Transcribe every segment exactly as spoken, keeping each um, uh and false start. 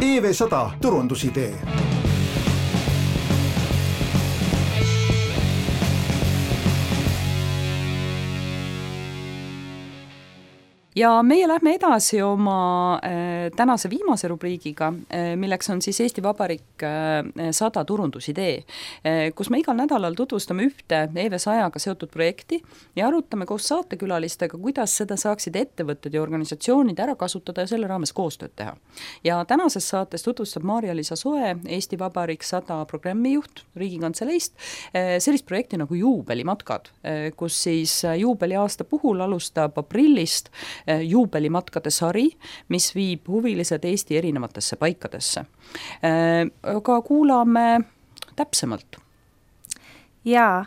E V sada turundusidee. Ja meie lähme edasi oma äh, tänase viimase rubriigiga, äh, milleks on siis Eesti Vabariik äh, sada turundusidee, äh, kus me igal nädalal tutvustame ühte E V sajaga seotud projekti ja arutame koos saatekülalistega, kuidas seda saaksid ettevõtted ja organisatsioonid ära kasutada ja selle raames koostööd teha. Ja tänases saates tutvustab Maarja-Liisa Soe, Eesti Vabariik sada programmijuht Riigikantseleist, äh, sellist projekti nagu juubelimatkad, äh, kus siis juubeliaasta puhul alustab aprillist juubelimatkade sari, mis viib huvilised Eesti erinevatesse paikadesse. Aga kuulame täpsemalt. Jaa,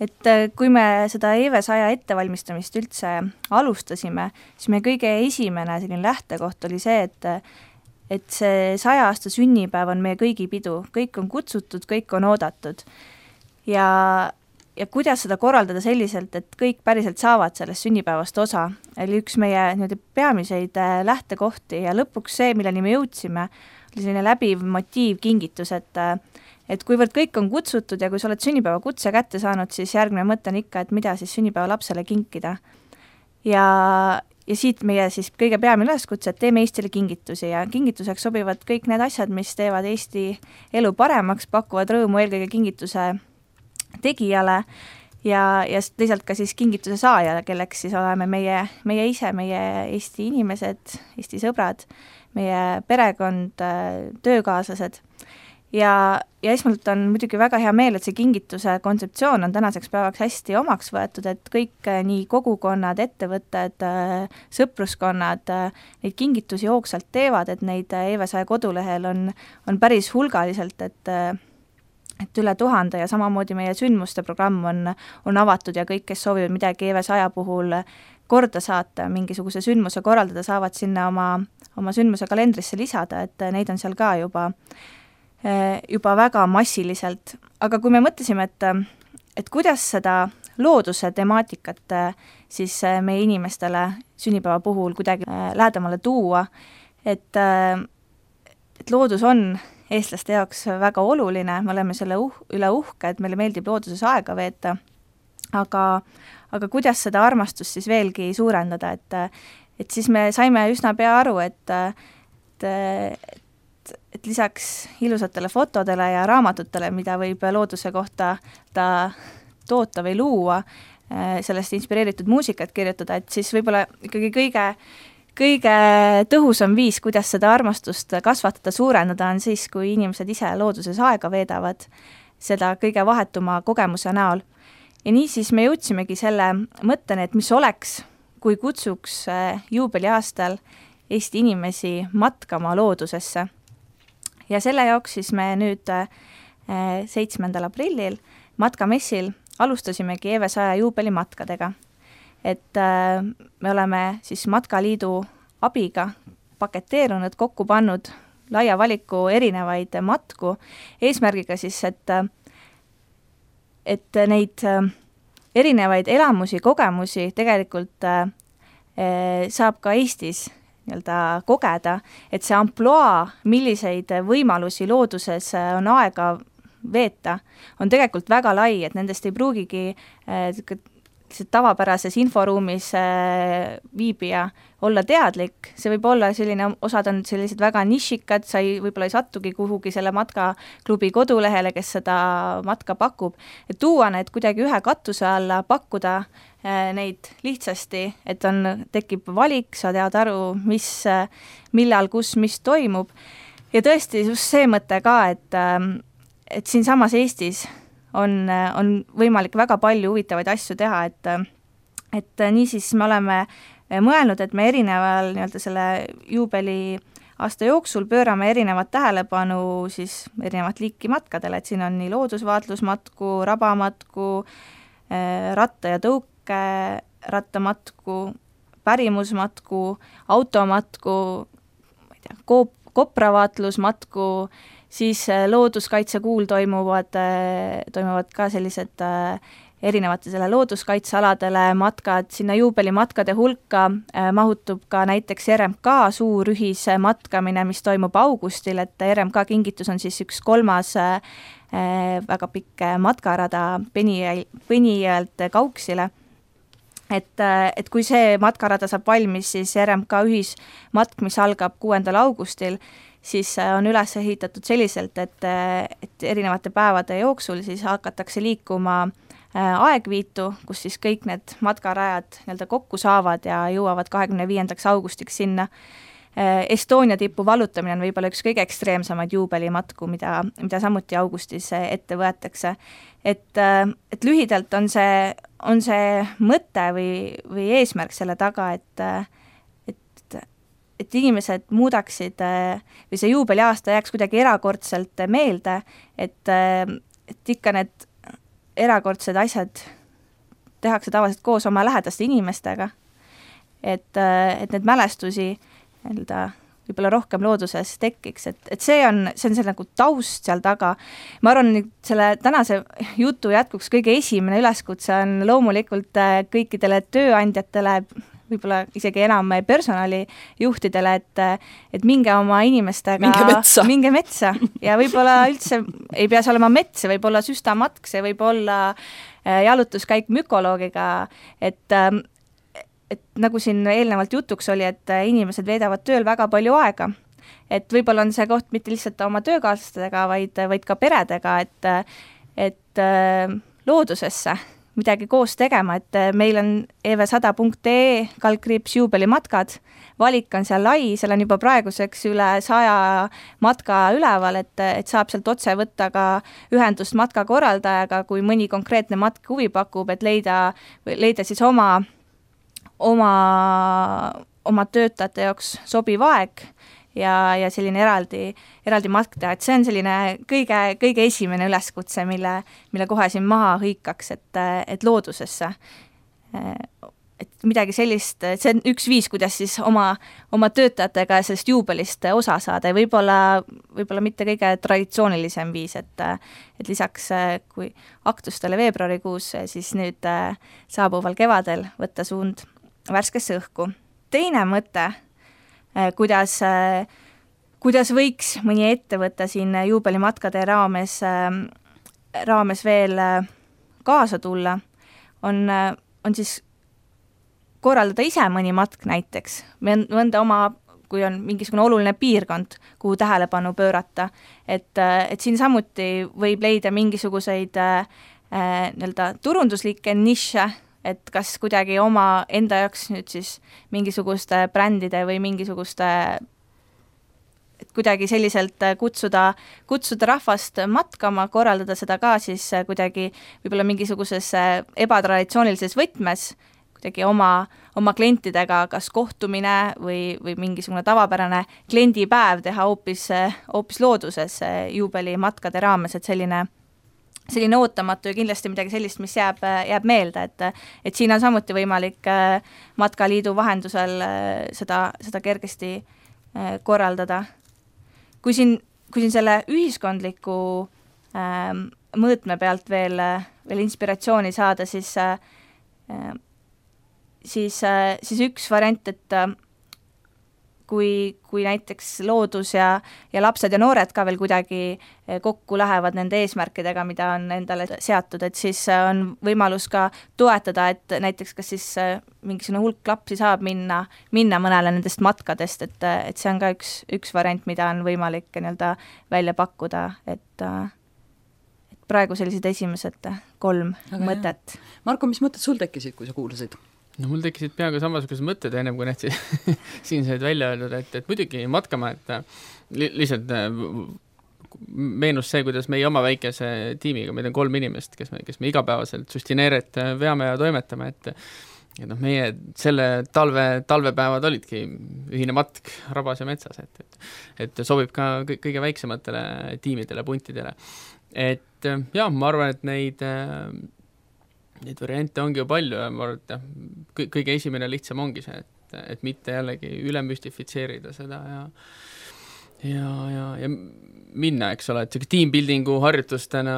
et kui me seda E V saja ettevalmistamist üldse alustasime, siis me kõige esimene selline lähtekoht oli see, et et see saja aasta sünnipäev on meie kõigi pidu, kõik on kutsutud, kõik on oodatud. Ja ja kuidas seda korraldada selliselt, et kõik päriselt saavad sellest sünnipäevast osa, oli üks meie nii-öelda peamiseid lähtekohti ja lõpuks see, milleni me jõudsime, oli selline läbiv motiiv kingitus, et, et kuivõrd kõik on kutsutud ja kui sa oled sünnipäeva kutse kätte saanud, siis järgmine mõte on ikka, et mida siis sünnipäeva lapsele kinkida. Ja, ja siit meie siis kõige peamine üleskutse, et teeme Eestile kingitusi ja kingituseks sobivad kõik need asjad, mis teevad Eesti elu paremaks, pakuvad rõõmu eelkõige kingituse tegijale ja, ja teisalt ka siis kingituse saajale, kelleks siis oleme meie, meie ise, meie Eesti inimesed, Eesti sõbrad, meie perekond, töökaaslased. Ja, ja esmalt on muidugi väga hea meel, et see kingituse kontseptsioon on tänaseks päevaks hästi omaks võetud, et kõik nii kogukonnad, ettevõtted, sõpruskonnad neid kingitusi hoogsalt teevad, et neid E V saja kodulehel on, on päris hulgaliselt, et et üle tuhande ja samamoodi meie sündmuste programm on, on avatud ja kõik, kes soovivad midagi E V saja puhul korda saata, mingisuguse sündmuse korraldada, saavad sinna oma, oma sündmuse kalendrisse lisada, et neid on seal ka juba, juba väga massiliselt. Aga kui me mõtlesime, et, et kuidas seda looduse temaatikat siis meie inimestele sünnipäeva puhul kuidagi lähedamale tuua, et, et loodus on eestlaste jaoks väga oluline, me oleme selle uh, üle uhke, et meile meeldib looduses aega veeta, aga, aga kuidas seda armastust siis veelgi suurendada, et, et siis me saime üsna pea aru, et, et, et, et lisaks ilusatele fotodele ja raamatutele, mida võib looduse kohta ta toota või luua, sellest inspireeritud muusikat kirjutada, et siis võib-olla ikkagi kõige Kõige tõhusam viis, kuidas seda armastust kasvatada, suurendada, on siis, kui inimesed ise looduses aega veedavad seda kõige vahetuma kogemuse näol. Ja nii siis me jõudsimegi selle mõtteni, et mis oleks, kui kutsuks juubeliaastal Eesti inimesi matkama loodusesse. Ja selle jaoks siis me nüüd seitsmendal aprillil matkamessil alustasimegi E V saja juubelimatkadega. Et äh, me oleme siis Matkaliidu abiga paketeerunud, kokku pannud laia valiku erinevaid matku, eesmärgiga siis, et, et neid erinevaid elamusi, kogemusi tegelikult äh, saab ka Eestis nii-öelda kogeda, et see amploa, milliseid võimalusi looduses on aega veeta, on tegelikult väga lai, et nendest ei pruugigi äh, tavapärases inforuumis viibija olla teadlik, see võib olla selline, osad on sellised väga nišikad, sa ei, võib-olla ei sattugi kuhugi selle matkaklubi kodulehele, kes seda matka pakub, et tuua need kuidagi ühe katuse alla, pakkuda neid lihtsasti, et on, tekib valik, sa tead aru, mis, millal, kus, mis toimub ja tõesti just see mõte ka, et, et siin samas Eestis On, on võimalik väga palju huvitavaid asju teha, et, et niisiis me oleme mõelnud, et me erineval nii-öelda selle juubeli aasta jooksul pöörame erinevat tähelepanu siis erinevat liiki matkadele, et siin on nii loodusvaatlusmatku, rabamatku, ratta- ja tõuke rattamatku, pärimusmatku, automatku, ma ei tea, koop, kopravaatlusmatku, siis looduskaitsekuul toimuvad, toimuvad ka sellised erinevatele looduskaitsealadele matkad, sinna juubelimatkade hulka äh, mahutub ka näiteks R M K suur ühismatkamine, mis toimub augustil, et R M K kingitus on siis üks kolmas äh, väga pikk matkarada Penijõelt Kauksile. Et, et kui see matkarada saab valmis, siis R M K ühismatk, mis algab kuuendal augustil, siis on üles ehitatud selliselt, et, et erinevate päevade jooksul siis hakatakse liikuma aegviitu, kus siis kõik need matkarajad nii-öelda kokku saavad ja jõuavad kahekümne viiendaks augustiks sinna. Estonia tipu vallutamine on võib-olla üks kõige ekstreemsamaid juubelimatku, mida, mida samuti augustis ette võetakse. Et, et lühidalt on see, on see mõte või, või eesmärk selle taga, et, et, et inimesed muudaksid või see juubeliaasta jääks kuidagi erakordselt meelde, et, et ikka need erakordsed asjad tehakse tavaliselt koos oma lähedaste inimestega, et, et need mälestusi nii-öelda võib-olla rohkem looduses tekiks, et, et see on, see on see nagu taust seal taga. Ma arvan, selle tänase jutu jätkuks kõige esimene üleskutse on loomulikult kõikidele tööandjatele, võib-olla isegi enam personalijuhtidele, et, et minge oma inimestega minge metsa, minge metsa. Ja võib-olla üldse ei pea see olema mets, see võib olla süstamatk, see võib olla jalutuskäik mükoloogiga, et et nagu siin eelnevalt jutuks oli, et inimesed veedavad tööl väga palju aega, et võib-olla on see koht mitte lihtsalt oma töökaaslastega, vaid, vaid ka peredega, et, et loodusesse midagi koos tegema, et meil on e v sada punkt e kaldkriips juubelimatkad, valik on seal lai, seal on juba praeguseks üle saja matka üleval, et, et saab sealt otse võtta ka ühendust matkakorraldajaga, kui mõni konkreetne matk huvi pakub, et leida, leida siis oma oma, oma töötajate jaoks sobiv aeg ja, ja selline eraldi, eraldi matk teha, et see on selline kõige, kõige esimene üleskutse, mille, mille kohe siin maha hõikaks, et, et loodusesse. Et midagi sellist, see on üks viis, kuidas siis oma, oma töötajatega sellest juubelist osa saada ja võib-olla, võib-olla mitte kõige traditsioonilisem viis, et, et lisaks kui aktustele veebruarikuus, siis nüüd saabuval kevadel võtta suund värskesse õhku. Teine mõte, kuidas, kuidas võiks mõni ettevõte siin juubelimatkade raames, raames veel kaasa tulla, on, on siis korraldada ise mõni matk näiteks, mõnda oma, kui on mingisugune oluline piirkond, kuhu tähelepanu pöörata, et, et siin samuti võib leida mingisuguseid äh, nii-öelda turunduslikke niše, et kas kuidagi oma enda jaoks nüüd siis mingisuguste brändide või mingisuguste, et kuidagi selliselt kutsuda, kutsuda rahvast matkama, korraldada seda ka siis kuidagi võib-olla mingisuguses ebatraditsioonilises võtmes, kuidagi oma, oma klientidega kas kohtumine või, või mingisugune tavapärane kliendipäev teha hoopis, hoopis looduses juubelimatkade raames, et selline selline ootamatu ja kindlasti midagi sellist, mis jääb, jääb meelde, et, et siin on samuti võimalik Matkaliidu vahendusel seda, seda kergesti korraldada. Kui siin, kui siin selle ühiskondliku ähm, mõõtme pealt veel, veel inspiratsiooni saada, siis, äh, siis, äh, siis üks variant, et kui, kui näiteks loodus ja, ja lapsed ja noored ka veel kuidagi kokku lähevad nende eesmärkidega, mida on endale seatud, et siis on võimalus ka toetada, et näiteks kas siis mingisugune hulk lapsi saab minna, minna mõnele nendest matkadest, et, et see on ka üks, üks variant, mida on võimalik nii-öelda välja pakkuda, et, et praegu sellised esimesed kolm Aga mõtet. Jah. Marko, mis mõtted sul tekkisid, kui sa kuulasid? No mul tekkisid peaaegu samasugused mõtted ennem kui need siin said välja öeldud, et, et muidugi matkama, et li, lihtsalt meenus see, kuidas meie oma väikese tiimiga, meil on kolm inimest, kes me, kes me igapäevaselt sustineeret veame ja toimetame, et ja noh, meie selle talve, talvepäevad olidki ühine matk rabas ja metsas, et, et, et sobib ka kõige väiksematele tiimidele, puntidele. Et jah, ma arvan, et neid Neid variante ongi ju palju ja ma arvan, et kõige esimene lihtsam ongi see, et, et mitte jällegi üle müstifitseerida seda ja ja, ja, ja minna, eks ole, et teambuildingu harjutustena,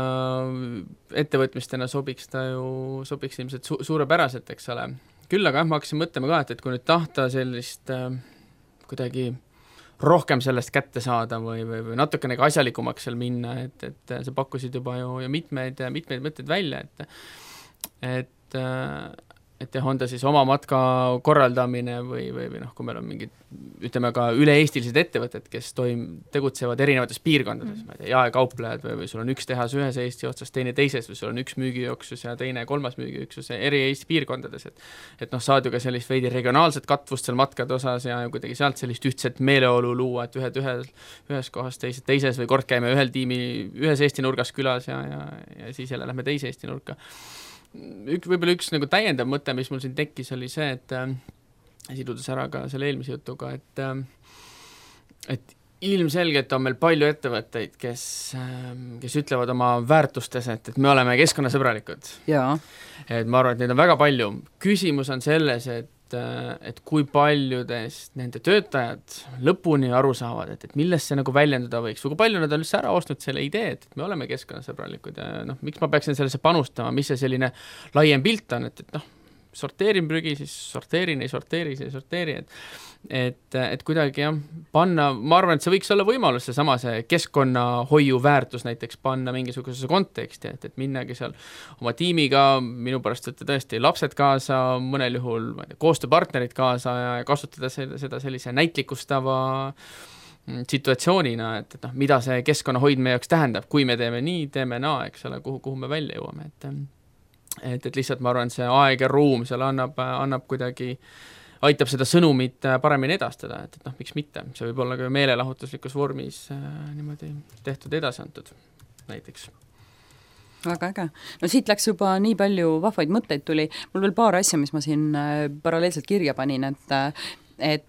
ettevõtmistena sobiks ta ju, sobiks ilmselt su- suurepäraselt, eks ole. Küll aga jah, ma hakkasin mõtlema ka, et, et kui nüüd tahta sellist äh, kuidagi rohkem sellest kätte saada või, või, või natukene ka asjalikumaks seal minna, et, et sa pakkusid juba ju, ju mitmeid, mitmeid mõtteid välja, et et äh, et jah, on ta siis oma matka korraldamine või, või, või noh, kui meil on mingid, ütleme ka üle-eestilised ettevõtted, kes toim, tegutsevad erinevates piirkondades, mm. ma ei tea, jaekauplejad või, või sul on üks tehas ühes Eesti otsas, teine teises või sul on üks müügijooksus ja teine kolmas müügijooksus eri Eesti piirkondades, et et noh, saad ju ka sellist veidi regionaalset katvust seal matkade osas ja kuidagi sealt sellist ühtset meeleolu luua, et ühed ühes, ühes kohas, teised teises või kord käime ühel tiimi ühes Eesti nurgas külas ja, ja, ja siis jälle lähme teise Eesti nurka. Ük, võib-olla üks nagu täiendav mõte, mis mul siin tekkis, oli see, et äh, sidudes ära ka selle eelmise jutuga, et äh, et ilmselgelt on meil palju ettevõtteid, kes, äh, kes ütlevad oma väärtustes, et, et me oleme keskkonnasõbralikud. Jaa. Et ma arvan, et neid on väga palju. Küsimus on selles, et et kui paljudest nende töötajad lõpuni aru saavad, et, et millest see nagu väljenduda võiks, või kui palju nad on üldse ära ostnud selle idee, et me oleme keskkonnasõbralikud ja noh, miks ma peaksin sellesse panustama, mis see selline laiem pilt on, et, et noh, sorteerin prügi, siis sorteerin, ei sorteeri, siis ei sorteeri, et et, et kuidagi jah, panna, ma arvan, et see võiks olla võimalus, see sama see keskkonnahoiu väärtus näiteks panna mingisugusesse konteksti, et, et minnagi seal oma tiimiga, minu pärast võtta tõesti lapsed kaasa, mõnel juhul ma ei tea, koostööpartnerid kaasa ja kasutada seda, seda sellise näitlikustava situatsioonina, et, et noh, mida see keskkonnahoid meie jaoks tähendab, kui me teeme nii, teeme naa, eks ole, kuhu, kuhu me välja jõuame, et et, et lihtsalt ma arvan, see aeg ja ruum seal annab, annab kuidagi aitab seda sõnumit paremini edastada, et, et noh, miks mitte, see võib olla ka meelelahutuslikus vormis äh, niimoodi tehtud edasi antud näiteks. Väga äge. No siit läks juba nii palju vahvaid mõtteid tuli, mul veel paar asja, mis ma siin äh, paralleelselt kirja panin, et äh, et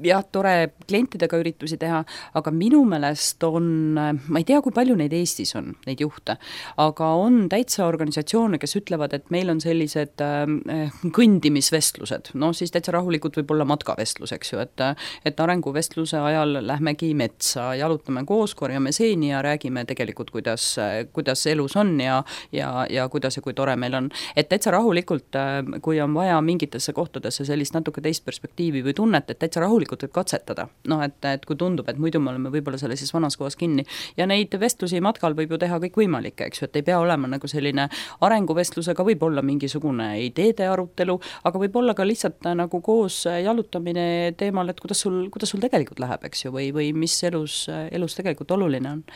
jah, tore klientidega üritusi teha, aga minu meelest on, ma ei tea, kui palju neid Eestis on, neid juhte, aga on täitsa organisatsioone, kes ütlevad, et meil on sellised äh, kõndimisvestlused, no siis täitsa rahulikult võib olla matkavestlus, eks ju, et, et arenguvestluse ajal lähmegi metsa, jalutame koos, korjame seeni ja räägime tegelikult, kuidas, kuidas elus on ja, ja, ja kuidas ja kui tore meil on. Et täitsa rahulikult, kui on vaja mingitesse kohtadesse sellist natuke teist perspektiivi või tunnet, et täitsa rahulikult võib katsetada. Noh, et, et kui tundub, et muidu me oleme võib-olla sellises vanas kohas kinni. Ja neid vestlusi matkal võib ju teha kõik võimalikke, eks ju, et ei pea olema nagu selline arenguvestlusega, võib olla mingisugune ideede arutelu, aga võib olla ka lihtsalt nagu koos jalutamine teemal, et kuidas sul, kuidas sul tegelikult läheb, eks ju, või, või mis elus, elus tegelikult oluline on.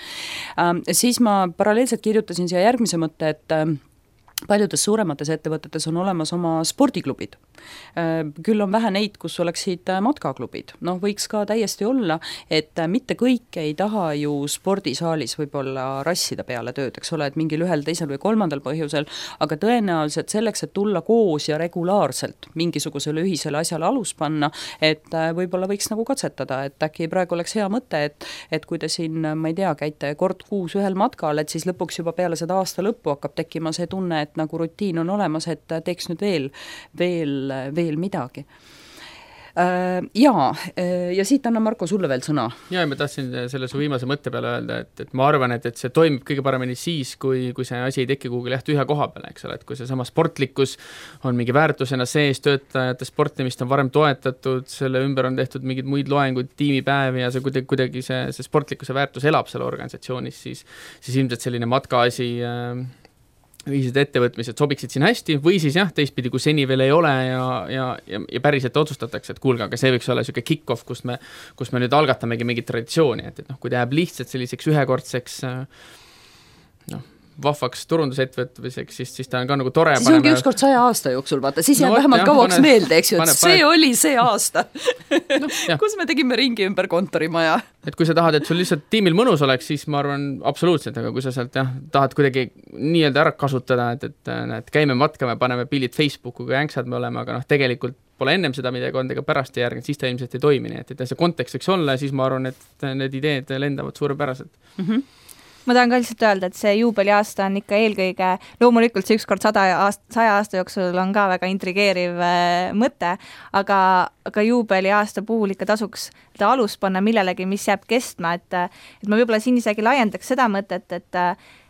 Ähm, siis ma paralleelselt kirjutasin siia järgmise mõtte, et paljudes suuremates ettevõtetes on olemas oma spordiklubid. Küll on vähe neid, kus oleksid matkaklubid. Noh, võiks ka täiesti olla, et mitte kõik ei taha ju spordisaalis võib-olla rassida peale tööd, eks ole, et mingil ühel, teisel või kolmandal põhjusel, aga tõenäoliselt selleks, et tulla koos ja regulaarselt mingisugusele ühisele asjale alus panna, et võib-olla võiks nagu katsetada, et äkki praegu oleks hea mõte, et, et kui te siin, ma ei tea, käite kord kuus ühel matkal, et siis lõpuks juba peale seda aasta lõppu hakkab tekkima see tunne, et nagu rutiin on olemas, et teeks nüüd veel, veel, veel midagi. Jaa, ja siit annan Marko sulle veel sõna. Jaa, ma tahtsin selle su viimase mõtte peale öelda, et, et ma arvan, et, et see toimib kõige paremini siis, kui, kui see asi ei teki kuhugi läht ühe koha peale, eks ole, et kui see sama sportlikkus on mingi väärtusena sees, töötajate sportimist on varem toetatud, selle ümber on tehtud mingid muid loenguid, tiimipäevi ja see kuidagi, kuidagi see, see sportlikkuse väärtus elab selle organisatsioonis, siis, siis ilmselt selline matkaasi äh, ühised ettevõtmised sobiksid siin hästi või siis jah, teistpidi, kui seni veel ei ole ja, ja, ja, ja päriselt otsustatakse, et kuulge, aga see võiks olla selline kick-off, kus me, kus me nüüd algatamegi mingit traditsiooni, et, et noh, kui ta jääb lihtsalt selliseks ühekordseks noh, vahvaks turundusettevõtmiseks, siis, siis ta on ka nagu tore. Siis paneme... ongi ükskord saja aasta jooksul, vaata, siis jääb no, vähemalt jah, kauaks pane, meelde, eks ju, et pane, see pane... oli see aasta, no, kus me tegime ringi ümber kontorimaja. Et kui sa tahad, et sul lihtsalt tiimil mõnus oleks, siis ma arvan absoluutselt, aga kui sa sealt jah, tahad kuidagi nii-öelda ära kasutada, et, et, et käime matkame, paneme pildid Facebooku, kui änksad me oleme, aga noh, tegelikult pole ennem seda midagi olnud ega pärast ei järgnud, siis ta ilmselt ei toimi, nii et, et see kontekst võiks olla ja siis ma arvan, et need ideed lendavad suurepäraselt. Mhm. ma tahan ka lihtsalt öelda, et see juubeliaasta on ikka eelkõige, loomulikult see ükskord sada aast, saja aasta jooksul on ka väga intrigeeriv äh, mõte, aga, aga juubeliaasta puhul ikka tasuks ta alus panna millelegi, mis jääb kestma, et, et ma võib-olla siin isegi laiendaks seda mõtet, et,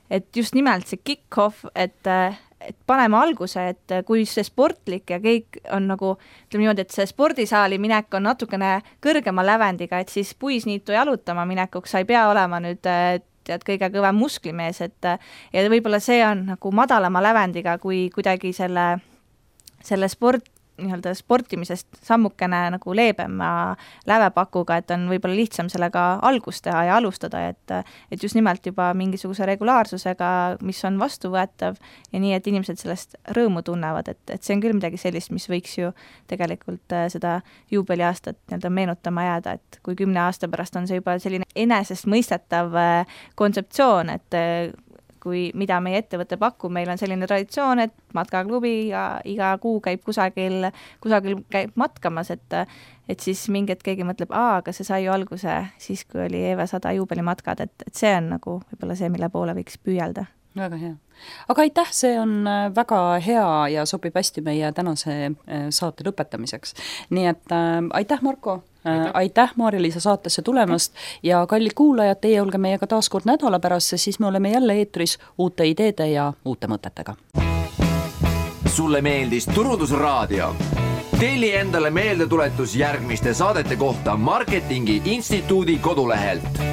et just nimelt see kick-off, et et paneme alguse, et kui see sportlik ja kõik on nagu, ütleme niimoodi, et see spordisaali minek on natukene kõrgema lävendiga, et siis puisniitu jalutama minekuks sa ei pea olema nüüd tead kõige kõvem musklimees, et ja võib-olla see on nagu madalama lävendiga, kui kuidagi selle, selle sport, nii-öelda sportimisest sammukene nagu leebema lävepakuga, et on võib-olla lihtsam sellega algust teha ja alustada, et, et just nimelt juba mingisuguse regulaarsusega, mis on vastuvõetav ja nii, et inimesed sellest rõõmu tunnevad, et, et see on küll midagi sellist, mis võiks ju tegelikult seda juubeliaastat nii-öelda meenutama jääda, et kui kümne aasta pärast on see juba selline enesest mõistetav kontseptsioon, et kui mida meie ettevõte pakub, meil on selline traditsioon, et matkaklubi ja iga kuu käib kusagil, kusagil käib matkamas, et, et siis mingi hetk keegi mõtleb, aa, aga see sai ju alguse siis, kui oli E V sada juubelimatkad, et, et see on nagu võib-olla see, mille poole võiks püüelda. Väga hea. Aga aitäh, see on väga hea ja sobib hästi meie tänase saate lõpetamiseks. Nii et äh, aitäh, Marko! Aitäh, aitäh Maarja-Liisa saatesse tulemast ja kallid kuulajad, teie olge meiega taas kord nädala pärast, siis me oleme jälle eetris uute ideede ja uute mõtetega. Sulle meeldis Turundusraadio? Telli endale meeldetuletus järgmiste saadete kohta Marketingi Instituudi kodulehelt.